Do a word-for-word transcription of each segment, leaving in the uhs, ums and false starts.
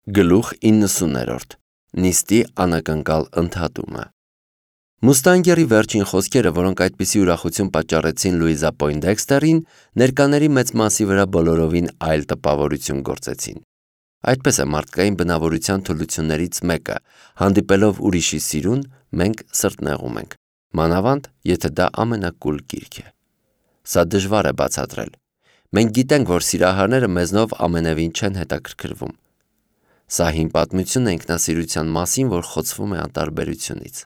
Գլուխ իննսուններորդ Նիստի անակնկալ ընդհատումը Մուստանգերի վերջին խոսքերը, որոնք այդպիսի ուրախություն պատճառեցին Լուիզա Պոինդեքստերին, ներկաների մեծ մասի վրա բոլորովին այլ տպավորություն գործեցին։ Այդպես է մարդկային բնավորության թուլություններից մեկը, հանդիպելով ուրիշի սիրուն, մենք սրտնեղում ենք, մանավանդ, եթե դա ամենակուլ գիրք է։ Սա դժվար է բացատրել։ Մենք գիտենք, որ սիրահարները մեզնով ամենևին չեն հետաքրքրվում։ Սա հին պատմություն է ինքնասիրության մասին, որ խոցվում է անտարբերությունից։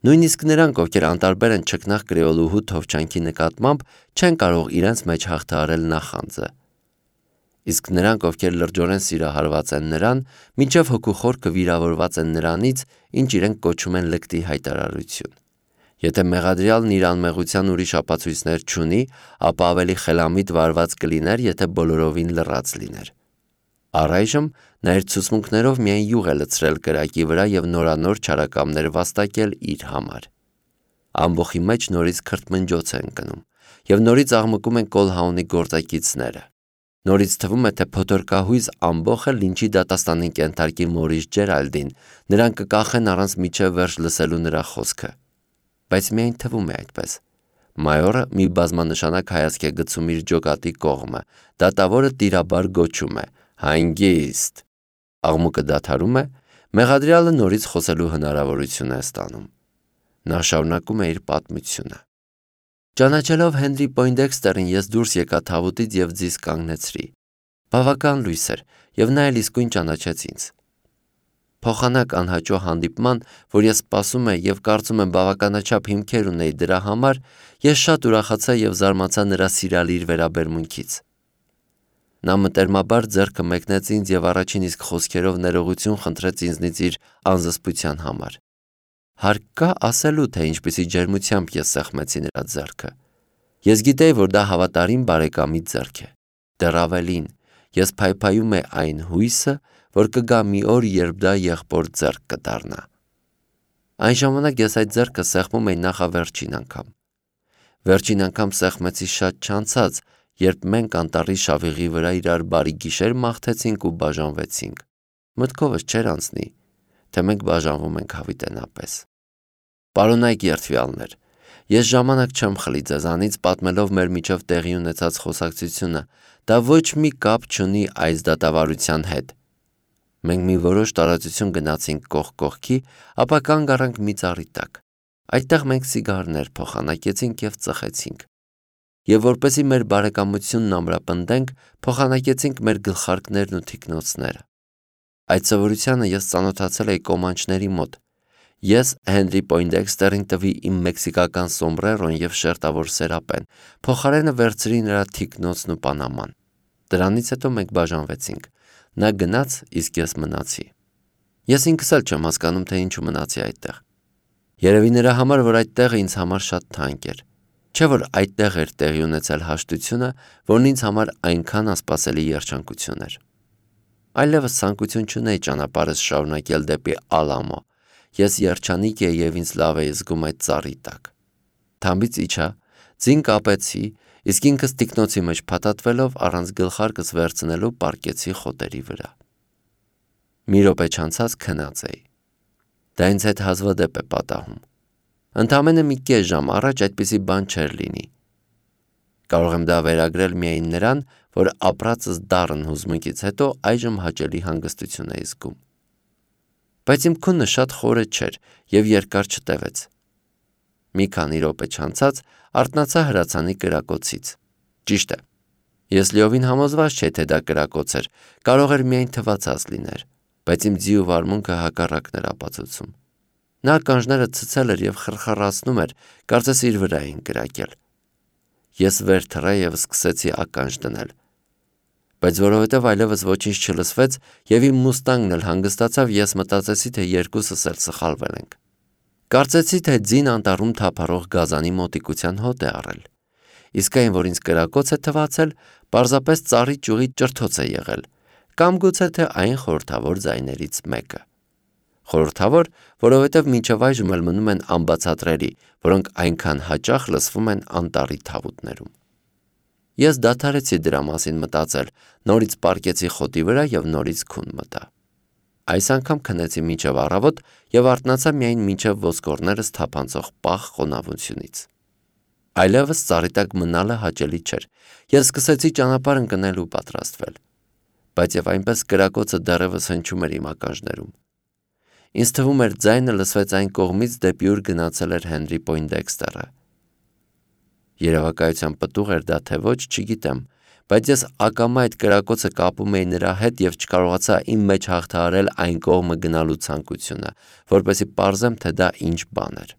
Նույնիսկ նրանք, ովքեր անտարբեր են չքնաղ կրեոլուհու թովչանքի նկատմամբ, չեն կարող իրենց մեջ հաղթահարել նախանձը։ Իսկ նրանք, ովքեր լրջորեն սիրահարված են նրան, մինչև հոգուխորքը վիրավորված են նրանից, ինչ իրենք կոչում են լկտի հայտարարություն։ Եթե մեղադրյալն իր անմեղության ուրիշ ապացույցներ չունի, ապա ավելի խելամիտ վարված կլիներ, եթե բոլորովին լռած լիներ։ Առայժմ նա իր ցուցմունքներով միայն յուղ է լցրել կրակի վրա և նորանոր չարակամներ վաստակել իր համար։ Ամբոխի մեջ նորից քրթմնջոց է ընկնում, և նորից աղմկում են Կոլհաունի գործակիցները։ Նորից թվում է, թե փոթորկահույզ ամբոխը լինչի դատաստանին կենթարկի Մորիս Ջերալդին, նրան կկախեն առանց մինչև վերջ լսելու նրա խոսքը։ Բայց միայն թվում է այդպես։ Մայորը մի բազմանշանակ հայացք է գցում իր ջոկատի կողմը, դատավորը տիրաբար գոչում է. «Հանգիստ»։ Աղմուկը դադարում է, մեղադրյալը նորից խոսելու հնարավորություն է ստանում։ Նա շարունակում է իր պատմությունը։ Ճանաչելով Հենրի Պոինդեքստերին, ես դուրս եկա թավուտից և ձիզ կանգնեցրի։ Բավական լույս էր, և նա էլ իսկույն ճանաչեց ինձ։ Փոխանակ անհաճո հանդիպման, որ ես սպասում եմ և կարծում եմ բավականաչափ հիմքեր ունեի դրա համար, ես շատ ուրախացա և զարմացա նրա սիրալիր վերաբերմունքից։ Նա մտերմաբար ձեռքը մեկնեց ինձ և առաջին իսկ խոսքերով ներողություն խնդրեց ինձնից իր անզսպության համար։ Հարկ կա ասելու, թե ինչպիսի ջերմությամբ ես սեղմեցի նրա ձեռքը։ Ես գիտեի, որ դա հավատարիմ բարեկամի ձեռք է։ Դեռ ավելին, ես փայփայում էի այն հույսը, որ կգա մի օր, երբ դա եղբոր ձեռք կդառնա։ Այն ժամանակ ես այդ ձեռքը սեղմում էի նախավերջին անգամ։ Վերջին անգամ սեղմեցի շատ չանցած, երբ մենք անտառի շավիղի վրա իրար բարի գիշեր մաղթեցինք ու բաժանվեցինք։ Մտքովս չէր անցնի, թե մենք բաժանվում ենք հավիտենապես։ Պարոնայք երդվյալներ, ես ժամանակ չեմ խլի ձեզանից պատմելով մեր միջև տեղի ունեցած խոսակցությունը, դա ոչ մի կապ չունի այս դատավարության հետ։ Մենք մի որոշ տարածություն գնացինք կողք կողքի, ապա կանգ առանք մի ծառի տակ։ Այդտեղ մենք սիգարներ փոխանակեցինք և ծխեցինք։ Եվ որպեսզի մեր բարեկամությունն ամրապնդենք, փոխանակեցինք մեր գլխարկներն ու թիկնոցները։ Այդ սովորությանը ես ծանոթացել էի կոմանչների մոտ։ Ես Հենրի Պոինդեքստերին տվի իմ մեքսիկական սոմբրերոն և շերտավոր սերապեն, փոխարենը վերցրի նրա թիկնոցն ու պանաման։ Դրանից հետո մենք բաժանվեցինք։ Նա գնաց, իսկ ես մնացի։ Ես ինքս էլ չեմ հասկանում, թե ինչու մնացի այդտեղ։ Երևի նրա համար, որ այդ տեղը ինձ համար շատ թանկ էր։ Չէ՞ որ այդտեղ էր տեղի ունեցել հաշտությունը, որն ինձ համար այնքան անսպասելի երջանկություն էր։ Այլևս ցանկություն չունեի ճանապարհս շարունակել դեպի Ալամո։ Ես երջանիկ էի և ինձ լավ էի զգում այդ ծառի տակ։ Թամբից իջա, ձին կապեցի, իսկ ինքս թիկնոցի մեջ փաթաթվելով առանց գլխարկս վերցնելու պառկեցի խոտերի վրա։ Մի րոպե չանցած քնած էի։ Դա ինձ հետ հազվադեպ է պատահում։ Ընդամենը մի կես ժամ առաջ այդպիսի բան չէր լինի։ Կարող եմ դա վերագրել միայն նրան, որ ապրածս դառն հուզմունքից հետո այժմ հաճելի հանգստություն էի զգում։ Բայց իմ քունը շատ խորը չէր և երկար չտևեց։ Մի քանի րոպե չանցած արթնացա հրացանի կրակոցից։ Ճիշտ է, ես լիովին համոզված չէի, թե դա կրակոց էր, կարող էր միայն թվացած լիներ, բայց իմ ձի ու վարմունքը հակառակն էր ապացուցում։ Նա ականջները ցցել էր և խրխռացնում էր, կարծես իր վրա էին կրակել։ Ես վեր թռա և սկսեցի ականջ դնել։ Բայց որովհետև այլևս ոչինչ չլսվեց և իմ մուստանգն էլ հանգստացավ, ես մտածեցի, թե երկուսս էլ սխալվել ենք։ Կարծեցի, թե ձին անտառում թափառող գազանի մոտիկության հոտ է առել։ Իսկ այն, որ ինձ կրակոց է թվացել, պարզապես ծառի ճյուղի ճրթոց է եղել, կամ գուցե թե այն խորհրդավոր ձայներից մեկը։ Խորհրդավոր, որովհետև մինչև այժմ էլ մնում են անբացատրելի, որոնք այնքան հաճախ լսվում են անտառի թավուտներում։ Ես դադարեցի դրա մասին մտածել, նորից պառկեցի խոտի վրա և նորից քուն մտա։ Այս անգամ քնեցի մինչև առավոտ և արթնացա միայն մինչև ոսկորներս թափանցող պաղ խոնավությունից։ Այլևս ծառի տակ մնալը հաճելի չէր, և սկսեցի ճանապարհ ընկնել ու պատրաստվել, բայց և այնպես կրակոցը դեռևս հնչում էր իմ ականջներում։ Ինձ թվում էր ձայնը լսվեց այն կողմից, դեպի ուր գնացել էր Հենրի Պոյնդեքստերը։ Երևակայության պտուղ էր դա թե ոչ, չգիտեմ, բայց ես ակամա այդ կրակոցը կապում էի նրա հետ և չկարողացա իմ մեջ հաղթահարել այն կողմը գնալու ցանկությունը, որպեսզի պարզեմ, թե դա ինչ բան էր։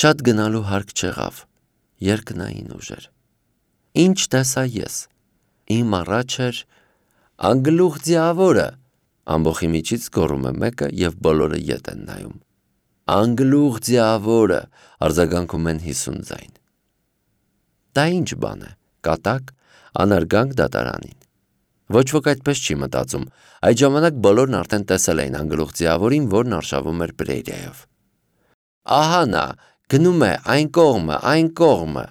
Շատ գնալու հարկ չեղավ, երկնային ուժեր։ Ինչ տեսա ես։ Իմ առաջ էր «Անգլուխ ձիավորը», ամբոխի միջից գոռում է մեկը և բոլորը ետ են նայում։ «Անգլուխ ձիավորը», արձագանքում են հիսուն ձայն։ Դա ինչ բան է, կատակ, անարգանք դատարանին։ Ոչ ոք այդպես չի մտածում, այդ ժամանակ բոլորն արդեն տեսել էին անգլուխ ձիավորին, որն արշավում էր Պրերիայով։ Ահա նա, գնում է այն կողմը, այն կողմը։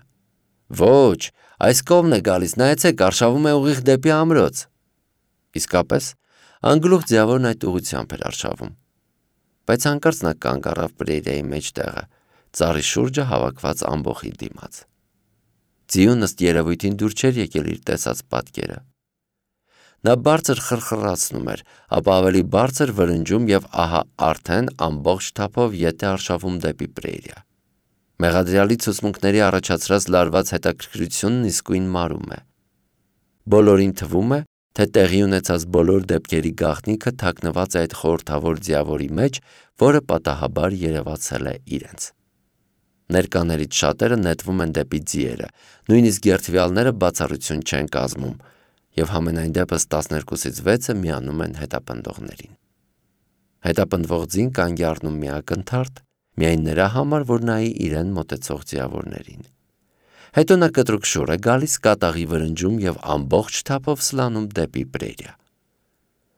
Ոչ, այս կողմն է գալիս, նայեցեք, արշավում է ուղիղ դեպի ամրոց։ Իսկապես, անգլուխ ձիավորն այդ ուղղությամբ էր արշավում։ Բայց հանկարծ նա կանգ առավ Պրերիայի մեջտեղը, ծառի շուրջը հավաքված ամբոխի դիմաց։ Ձիուն ըստ երևույթին դուր չէր եկել իր տեսած պատկերը։ Նա բարձր խրխրացնում էր, ապա ավելի բարձր վրնջում և ահա արդեն ամբողջ թափով ետ է արշավում դեպի Պրերիա։ Մեղադրյալի ցուցմունքների առաջացրած լարված հետաքրքրությունն իսկույն մարում է։ Բոլորին թվում է, թե տեղի ունեցած բոլոր դեպքերի գաղտնիքը թաքնված է այդ խորհրդավոր ձիավորի մեջ, որը պատահաբար երևացել է իրենց։ Ներկաներից շատերը նետվում են դեպի ձիերը, նույնիսկ երդվյալները բացառություն չեն կազմում, և համենայն դեպս տասներկուսից վեցը միանում են հետապնդողներին։ Հետապնդվող ձին կանգ է առնում մի ակնթարթ, միայն նրա համար, որ նայի իրեն մոտեցող ձիավորներին։ Հետո նա կտրուկ շուռ է գալիս, կատաղի վրնջում և ամբողջ թափով սլանում դեպի Պրերիա։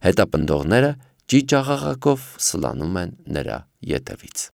Հետապնդողները ճիճ աղաղակով սլանում են նրա ետևից։